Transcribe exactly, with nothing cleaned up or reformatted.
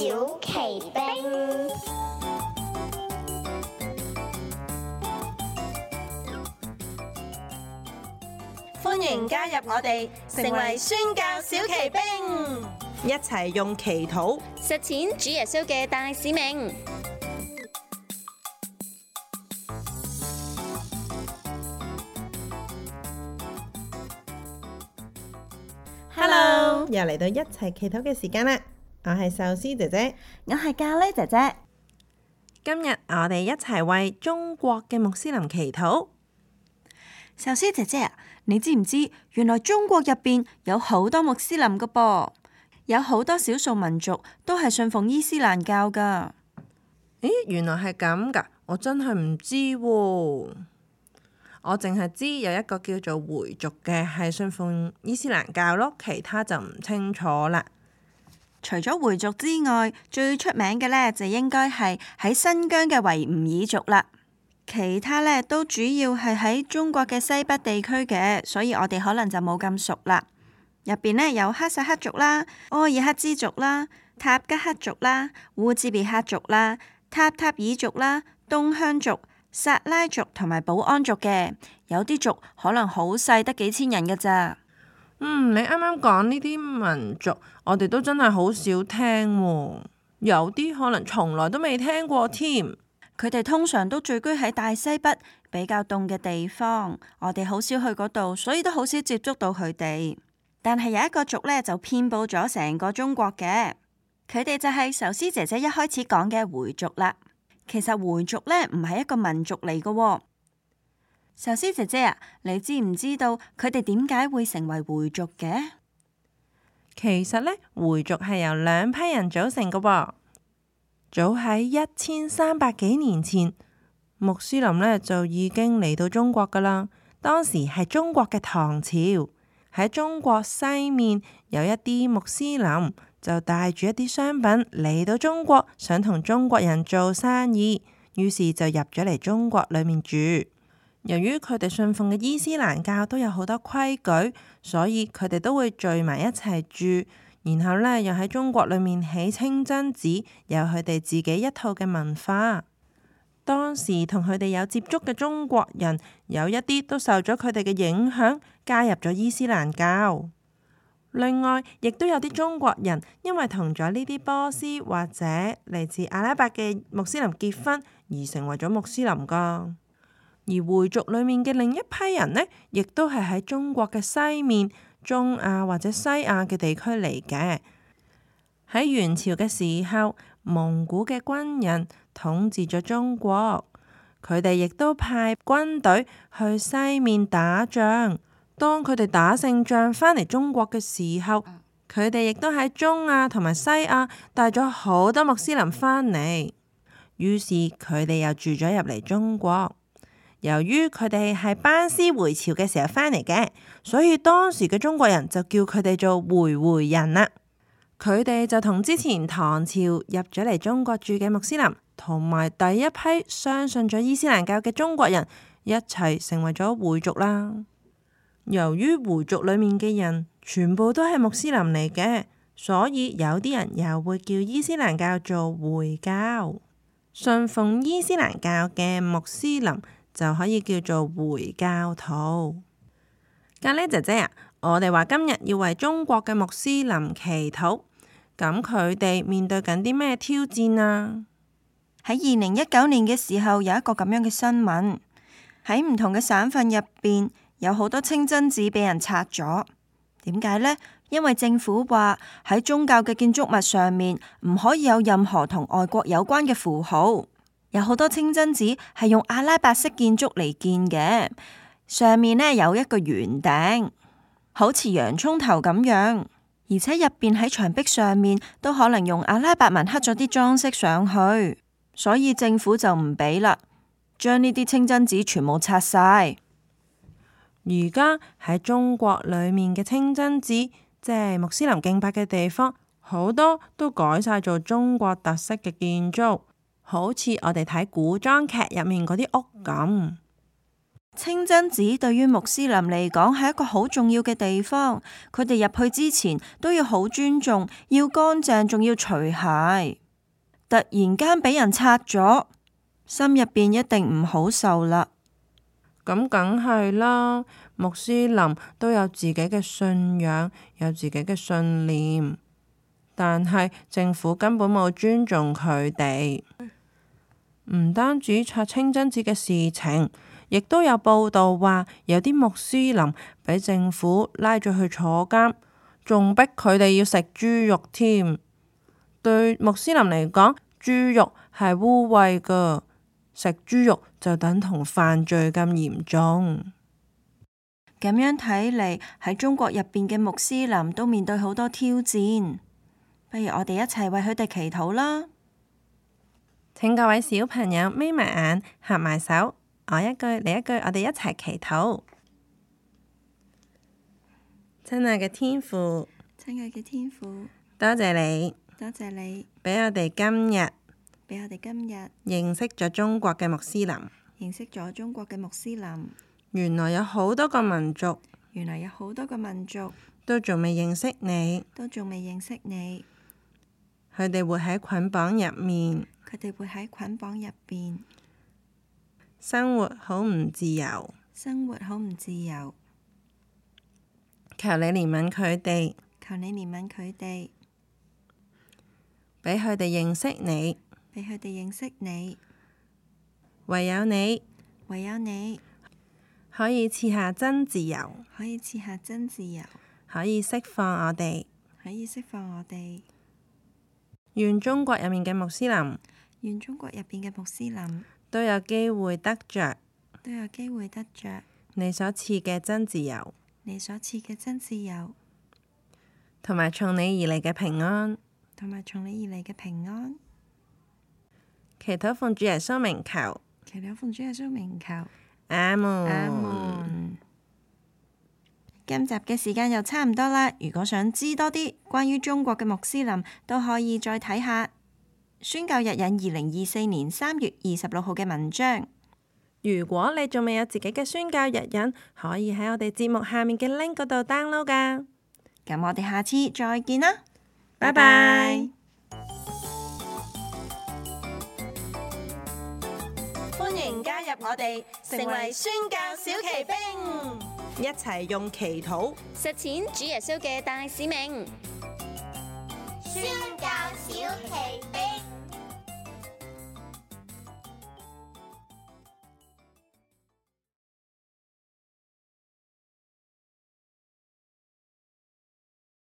小奇兵。歡迎加入我哋，成為宣教小奇兵，一齊用祈禱實踐主耶穌嘅大使命。Hello，又嚟到一齊祈禱嘅時間啦！我係壽司姐姐，我係咖喱姐姐。今日我哋一齊為中國嘅穆斯林祈禱。壽司姐姐啊，你知唔知原來中國入邊有好多穆斯林噶噃，有好多少數民族都係信奉伊斯蘭教噶。咦，原來係咁噶，我真係唔知喎。我淨係知有一個叫做回族嘅係信奉伊斯蘭教咯，其他就唔清楚啦。除咗回族之外，最出名嘅呢就應該係喺新疆嘅維吾爾族啦。其他呢都主要係喺中國嘅西北地區嘅，所以我哋可能就冇咁熟啦。入邊呢有哈薩克族啦、柯爾克孜族啦、塔吉克族啦、烏茲別克族啦、塔塔爾族啦、東鄉族、薩拉族同埋保安族嘅。有啲族可能好細，得幾千人㗎咋。嗯，你啱啱講呢啲民族，我哋都真係好少聽喎，有啲可能從來都未聽過添。佢哋通常都聚居喺大西北比較凍嘅地方，我哋好少去嗰度，所以都好少接觸到佢哋。但係有一個族呢，就遍佈咗成個中國嘅，佢哋就係壽司姐姐一開始講嘅回族啦。其實回族呢，唔係一個民族嚟嘅喎。壽司姐姐啊，你知唔知道佢哋點解會成為回族嘅？其實呢，回族係由兩批人組成嘅喎。早喺一千三百幾年前，穆斯林呢就已經嚟到中國噶啦。當時係中國嘅唐朝，喺中國西面有一啲穆斯林就帶住一啲商品嚟到中國，想同中國人做生意，於是就入咗嚟中國裏面住。由於佢哋信奉嘅伊斯蘭教都有好多規矩，所以佢哋都會聚埋一齊住。然後呢，又喺中國裏面起清真寺，有佢哋自己一套嘅文化。當時同佢哋有接觸嘅中國人，有一啲都受咗佢哋嘅影響，加入咗伊斯蘭教。另外，亦都有啲中國人因為同咗呢啲波斯或者嚟自阿拉伯嘅穆斯林結婚，而成為咗穆斯林噶。而回族裏面嘅另一批人呢，亦都係喺中國嘅西面、中亞或者西亞嘅地區嚟嘅。喺元朝嘅時候，蒙古嘅軍人統治咗中國，佢哋亦都派軍隊去西面打仗。當佢哋打勝仗返嚟中國嘅時候，佢哋亦都喺中亞同埋西亞帶咗好多穆斯林返嚟，於是佢哋又住咗入嚟中國。由於佢哋係班師回朝嘅時候返嚟嘅，所以當時嘅中國人就叫佢哋做回回人啦。佢哋就同之前唐朝入咗嚟中國住嘅穆斯林，同埋第一批相信咗伊斯蘭教嘅中國人一齊成為咗回族啦。由於回族裏面嘅人全部都係穆斯林嚟嘅，所以有啲人又會叫伊斯蘭教做回教。信奉伊斯蘭教嘅穆斯林就可以叫做回教徒。咖喱姐姐啊，我哋話今日要為中國嘅穆斯林祈禱，咁佢哋面對緊啲咩挑戰啊？喺二零一九年嘅時候，有一個咁樣嘅新聞，喺唔同嘅省份入邊有好多清真寺俾人拆咗。點解呢？因為政府話喺宗教嘅建築物上面唔可以有任何同外國有關嘅符號。有好多清真寺係用阿拉伯式建築嚟建嘅，上面呢有一個圓頂，好似洋蔥頭咁樣，而且入邊喺牆壁上面都可能用阿拉伯文刻咗啲裝飾上去，所以政府就唔俾啦，將呢啲清真寺全部拆晒。而家喺中國裏面嘅清真寺，即係穆斯林敬拜嘅地方，好多都改晒做中國特色嘅建築。好似我哋睇古裝劇入面嗰啲屋咁。清真寺對於穆斯林嚟講係一個好重要嘅地方，佢哋入去之前都要好尊重，要乾淨，仲要除鞋。突然間俾人拆咗，心入邊一定唔好受啦。咁梗係啦，穆斯林都有自己嘅信仰，有自己嘅信念，但係政府根本冇尊重佢哋。唔單止拆清真寺嘅事情，亦都有報道話有啲穆斯林俾政府拉咗去坐監，仲逼佢哋要食豬肉添。對穆斯林嚟講，豬肉係污穢噶，食豬肉就等同犯罪咁嚴重。咁樣睇嚟，喺中國入邊嘅穆斯林都面對好多挑戰。不如我哋一齊為佢哋祈禱啦。請各位小朋友眯埋眼，合埋手，我一句你一句，我哋一齊祈禱。親愛嘅天父，親愛嘅天父，多謝你，多謝你俾我哋今日俾我哋今日認識咗中國嘅穆斯林。認識咗中國嘅穆斯林，原來有好多個民族，原來有好多個民族都仲未認識你，都仲未認識你。佢哋活喺捆綁入面，佢哋會喺捆綁入邊，生活好唔自由。生活好唔自由。求你憐憫佢哋，求你憐憫佢哋，俾佢哋認識你。俾佢哋認識你。唯有你，唯有你可以賜下真自由，可以賜下真自由，可以釋放我哋。可以釋放我哋。願中國入面嘅穆斯林，願中國入邊嘅穆斯林都有機會得着都有機會得着你所賜嘅真自由，你所賜嘅真自由，同埋從你而嚟嘅平安。同埋從你而嚟嘅平安。祈禱奉主耶穌名求，祈禱奉主耶穌名求。阿門。阿門。今集嘅時間又差唔多啦，如果想知多啲關於中國嘅穆斯林，都可以再睇下宣教日引二零二四年三月二十六號嘅文章。如果你仲未有自己嘅宣教日引，可以喺我哋節目下面嘅 link 嗰度 download 噶。咁我哋下次再見啦，拜拜。歡迎加入我哋，成為宣教小騎兵，一齊用祈禱實踐主耶穌嘅大使命。宣教小奇兵。